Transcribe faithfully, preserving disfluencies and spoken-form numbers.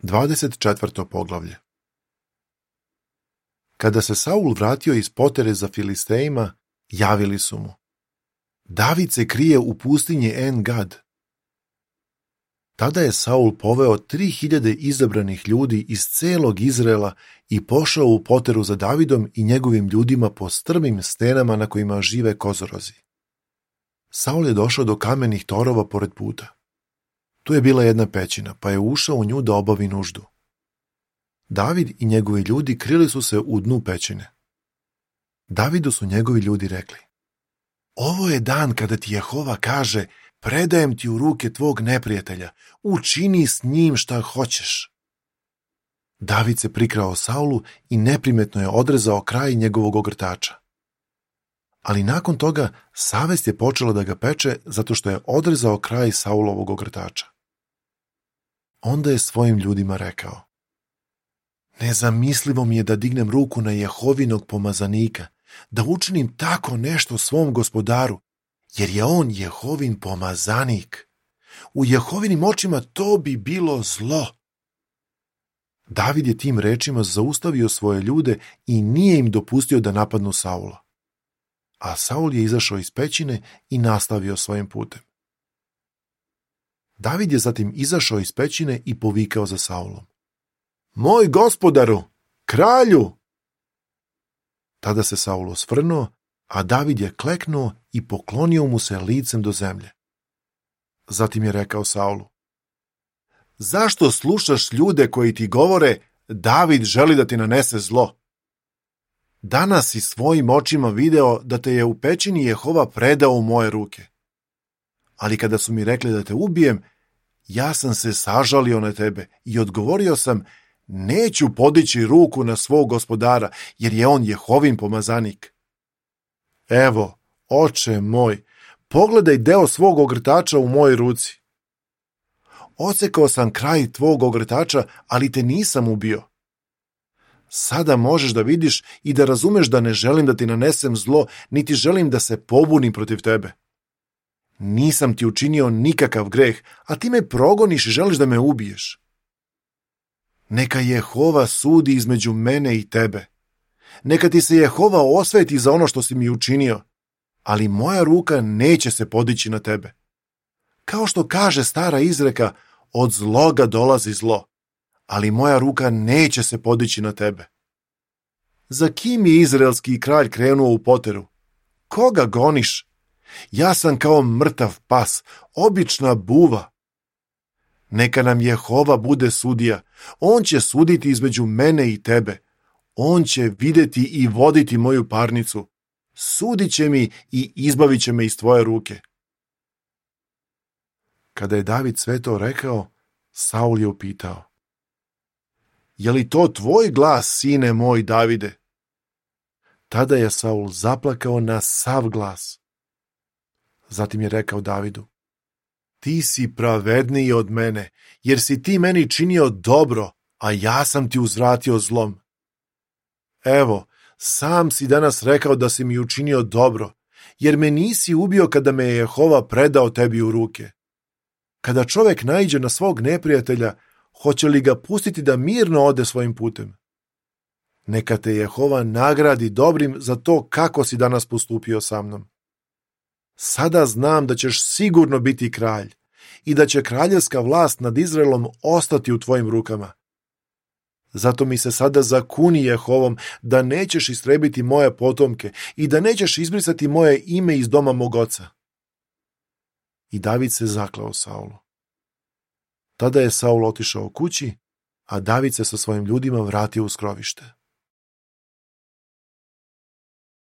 Dvadeset četvrto poglavlje. Kada se Saul vratio iz potere za Filistejima, javili su mu: David se krije u pustinji En-Gad. Tada je Saul poveo tri hiljade izabranih ljudi iz celog Izraela i pošao u poteru za Davidom i njegovim ljudima po strmim stenama na kojima žive kozorozi. Saul je došao do kamenih torova pored puta. Tu je bila jedna pećina, pa je ušao u nju da obavi nuždu. David i njegovi ljudi krili su se u dnu pećine. Davidu su njegovi ljudi rekli: Ovo je dan kada ti Jehova kaže: predajem ti u ruke tvog neprijatelja, učini s njim šta hoćeš. David se prikrao Saulu i neprimetno je odrezao kraj njegovog ogrtača. Ali nakon toga savest je počela da ga peče zato što je odrezao kraj Saulovog ogrtača. Onda je svojim ljudima rekao: Nezamislivo mi je da dignem ruku na Jehovinog pomazanika, da učinim tako nešto svom gospodaru, jer je on Jehovin pomazanik. U Jehovinim očima to bi bilo zlo. David je tim rečima zaustavio svoje ljude i nije im dopustio da napadnu Saula. A Saul je izašao iz pećine i nastavio svojim putem. David je zatim izašao iz pećine i povikao za Saulom: Moj gospodaru, kralju! Tada se Saul osvrnuo, a David je kleknuo i poklonio mu se licem do zemlje. Zatim je rekao Saulu: Zašto slušaš ljude koji ti govore: David želi da ti nanese zlo? Danas si svojim očima video da te je u pećini Jehova predao u moje ruke. Ali kada su mi rekli da te ubijem, ja sam se sažalio na tebe i odgovorio sam: neću podići ruku na svog gospodara, jer je on Jehovin pomazanik. Evo, oče moj, pogledaj deo svog ogrtača u mojoj ruci. Odsekao sam kraj tvog ogrtača, ali te nisam ubio. Sada možeš da vidiš i da razumeš da ne želim da ti nanesem zlo, niti želim da se pobunim protiv tebe. Nisam ti učinio nikakav greh, a ti me progoniš i želiš da me ubiješ. Neka Jehova sudi između mene i tebe. Neka ti se Jehova osveti za ono što si mi učinio, ali moja ruka neće se podići na tebe. Kao što kaže stara izreka, od zloga dolazi zlo, ali moja ruka neće se podići na tebe. Za kim je izraelski kralj krenuo u poteru? Koga goniš? Ja sam kao mrtav pas, obična buva. Neka nam Jehova bude sudija, on će suditi između mene i tebe. On će videti i voditi moju parnicu. Sudit će mi i izbavit će me iz tvoje ruke. Kada je David sve to rekao, Saul je upitao: Je li to tvoj glas, sine moj Davide? Tada je Saul zaplakao na sav glas. Zatim je rekao Davidu: Ti si pravedniji od mene, jer si ti meni činio dobro, a ja sam ti uzvratio zlom. Evo, sam si danas rekao da si mi učinio dobro, jer me nisi ubio kada me je Jehova predao tebi u ruke. Kada čovjek naiđe na svog neprijatelja, hoće li ga pustiti da mirno ode svojim putem? Neka te Jehova nagradi dobrim za to kako si danas postupio sa mnom. Sada znam da ćeš sigurno biti kralj i da će kraljevska vlast nad Izraelom ostati u tvojim rukama. Zato mi se sada zakuni Jehovom da nećeš istrebiti moje potomke i da nećeš izbrisati moje ime iz doma mog oca. I David se zakleo Saulu. Tada je Saul otišao kući, a David se sa svojim ljudima vratio u skrovište.